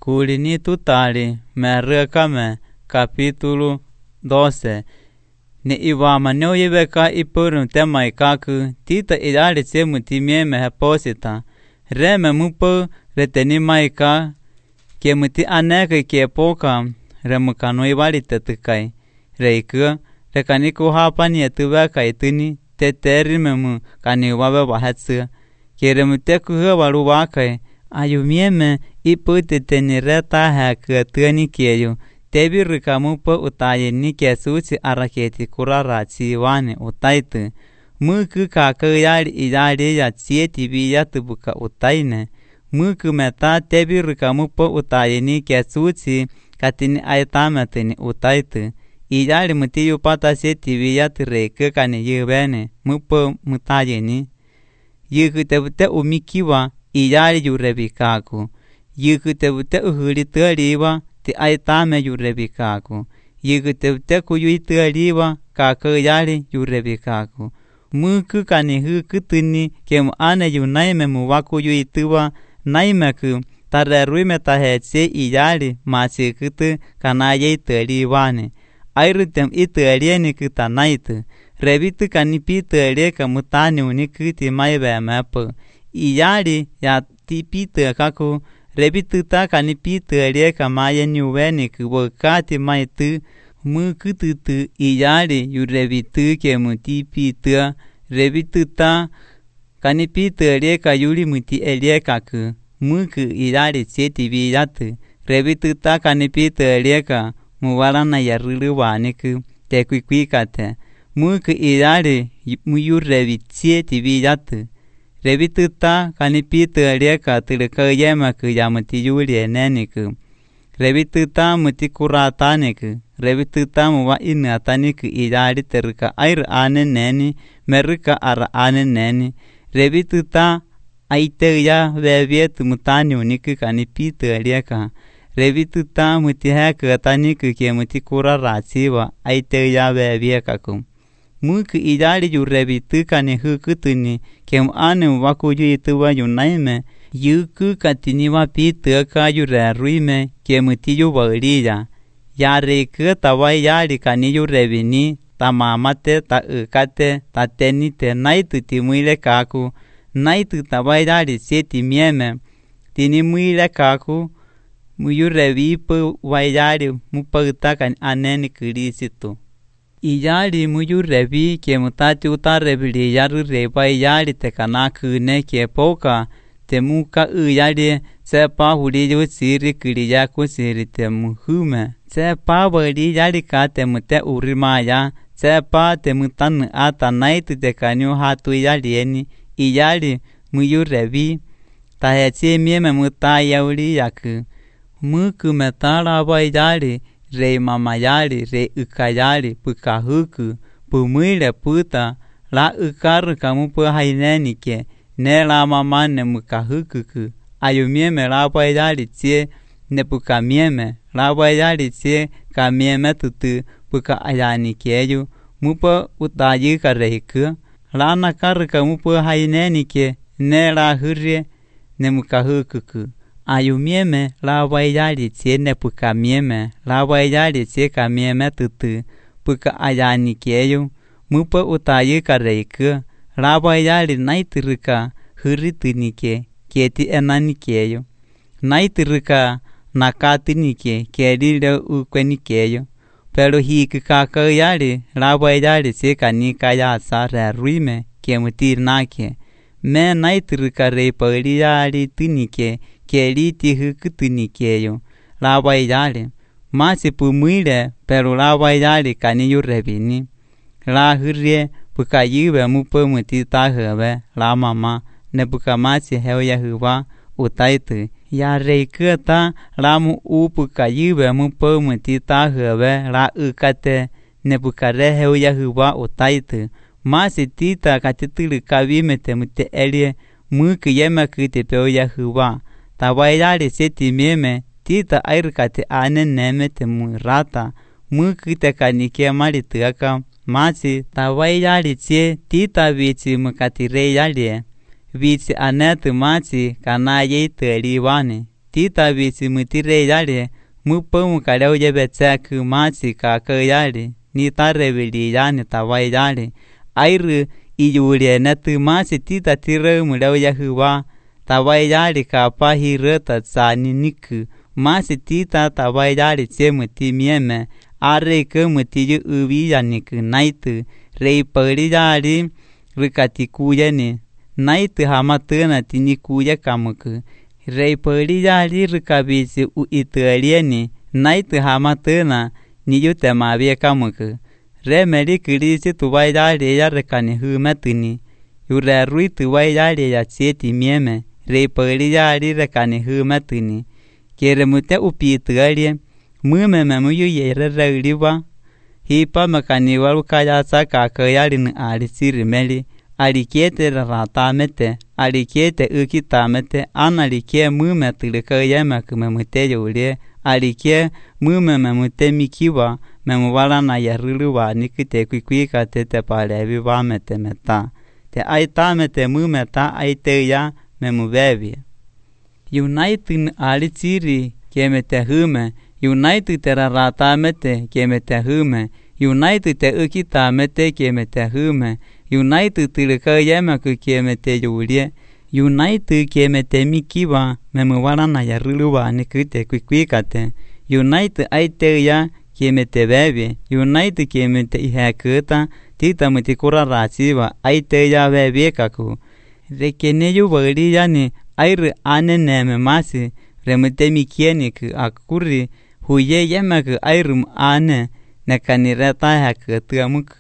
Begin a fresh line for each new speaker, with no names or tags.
Kulini tutali merrekame capítulo 12. Ni iwama neoyeveka ipurum tema ikaku tita idali tsemu timieme heposita. Reme mupo reteni maika kemuti aneke kepoka remukano ibali tetukai. Reiku rekaniku hapani etuveka ituni teterimemu kaniwawe wahetsu. Keremuteku hewalu wakai ayumieme ipute tenireta hakatani keyo. Tebirika mupo utaye nike suci araketi kurarachi wane utaitu. Muku kakayali idali ya tsieti biya tubuka utaine. Muku meta tebirika mupo utaye nike suci katini aitametini utaitu. Idali mutiyu pata sieti biya tureke kani yubene mupo mutayeni. Yukutebute umikiwa idali yurebikaku. Yukutebute uhulitaliwa ti aitame yurebikaku. Yukutebute kuyuitaliwa kakayali yurebikaku. Muku kani hukutuni kemu ane yunaime muwaku yuituwa naimeku tareruime tahetse idali masikutu kanaye italiwane. Airutem italieni kutanaitu. Rebitu kanipi italie kamutani unikuti maibe mepo. Idali ya tipite kaku rebitu ta kanipi italie kamaye nyuweni kubokati maitu mukututu idali yurebitu kemutipita. Rebitu ta kanipi italie kayuli muti elie kaku. Muku idali tseti biyatu. Rebitu ta kanipi italie ka muwarana yarulu waniku tekuikuikate. Muku idali muyurebitsie tibiyatu. Rebitu ta kanipitu alieka tulukayema kuyamuti yuli eneniku. Rebitu ta mutikurataniku. Rebitu ta muwa inataniku idali teruka air aneneni meruka ara aneneni. Rebitu ta aiteya vevietu mutani uniku kanipitu alieka. Rebitu ta mutiheku ataniku kie mutikuraratziwa aiteya veviekaku. Muku idali yurebitu kani hukutuni kem anu wakuyuituwa yunaime yuku katiniwa pitaka yureruime kemuti yubaliya. Yareku tawai yali kani yurebini tamamate ta ukate ta tenite naitu timuile kaku. Naitu tawai yali sieti mieme tinimuile kaku muyurebipu wayali mupautakan aneni kirisitu. Iyali muyurebi kemutati utarebili yaru reba iyali tekanakune kepoka temuka iyali sepa huliyo siri kiriya kusiri temuhume. Sepa wali yali ka temute urimaya sepa temutanu ata naitu tekanyu hatu iyalieni. Iyali muyurebi tahetsi mieme mutayauli yaku. Muku metala wa iyali re mamayali re ukayali pukahuku pumuile puta la ukaru kamupu hainenike ne la mamane mukahukuku ayumieme la wayali tsie ne pukamieme la wayali tsie kamieme tutu puka ayanikeyu mupa utayika reiku la nakaru kamupu hainenike ne la hurie ne mukahukuku. Ayumieme la wayali tsie ne pukamieme la wayali tsie kamieme tutu puka ayanikeyu mupa utayika reiku la wayali naituruka huritunike keti enanikeyu naituruka nakatunike kelile ukwenikeyu pero hiku kakayali la wayali tsie kanika yasa reruime kemutir nake me naituruka reipali yali tunike keliti hukutunikeyo la wayali masi pumuile pero la wayali kani yurebini la hurie puka yube mupo mutitahebe la mama ne puka masi heuya huwa utaitu ya reikata la mu upuka yube mupo mutitahebe la ukate ne puka reheuya huwa utaitu masi tita katitulu kavime temute elie muku yema kutepeuya huwa. Tawayali seti mieme tita airukati ane neme temurata muku tekanike malituaka masi tawayali tsie tita vici mukatire yalie vici anetu masi kanaye italiwane tita bisi mutire yale mupo kaleo yebetsa ku masi ka yale ni tarebili yani tawai yale airu iyure na tu masi tita tire muleo yahuwa tawai yale ka pahi ta tsani niku masi tita tawai yale che muti mieme are ke muti yu ubi yaniku naitu rei pari yale rikati kuyeni naitu hamatuna tini kuya kamuku rei pari yale rikabisi uitalieni naitu hamatuna ni yute mabie kamuku remeli kirisi tuwai yale ya rekani humetuni yure rui tuwai yale ya cheti mieme rei pari yale rekani humetuni kere mute upitualie mume memuyu yere reuriwa hipa makani walukaya saka kayali ni alisiri meli alikiete ratamete alikiete ukitamete analikie mume tulikaya makumemute yulie alikie mume memute mikiwa memuwala na yaruluwa nikite kuikuika tete palevi wamete meta te aitamete mume ta aiteya memuvevi United alisiri kemete hume United ratamete kemete hume United te ukitamete kemete hume United tulikaya makukemete yulie United kemete mikiwa memuwala na yaruluwa nikite kuikuikate United aiteya kemete bebe United kemete ihekuta tita mutikura rasiwa aiteya bebe kaku rekene yubali yani airu aneneme masi remute mikieni ku akuri huye yemak airum ane nakanireta hekutu amuk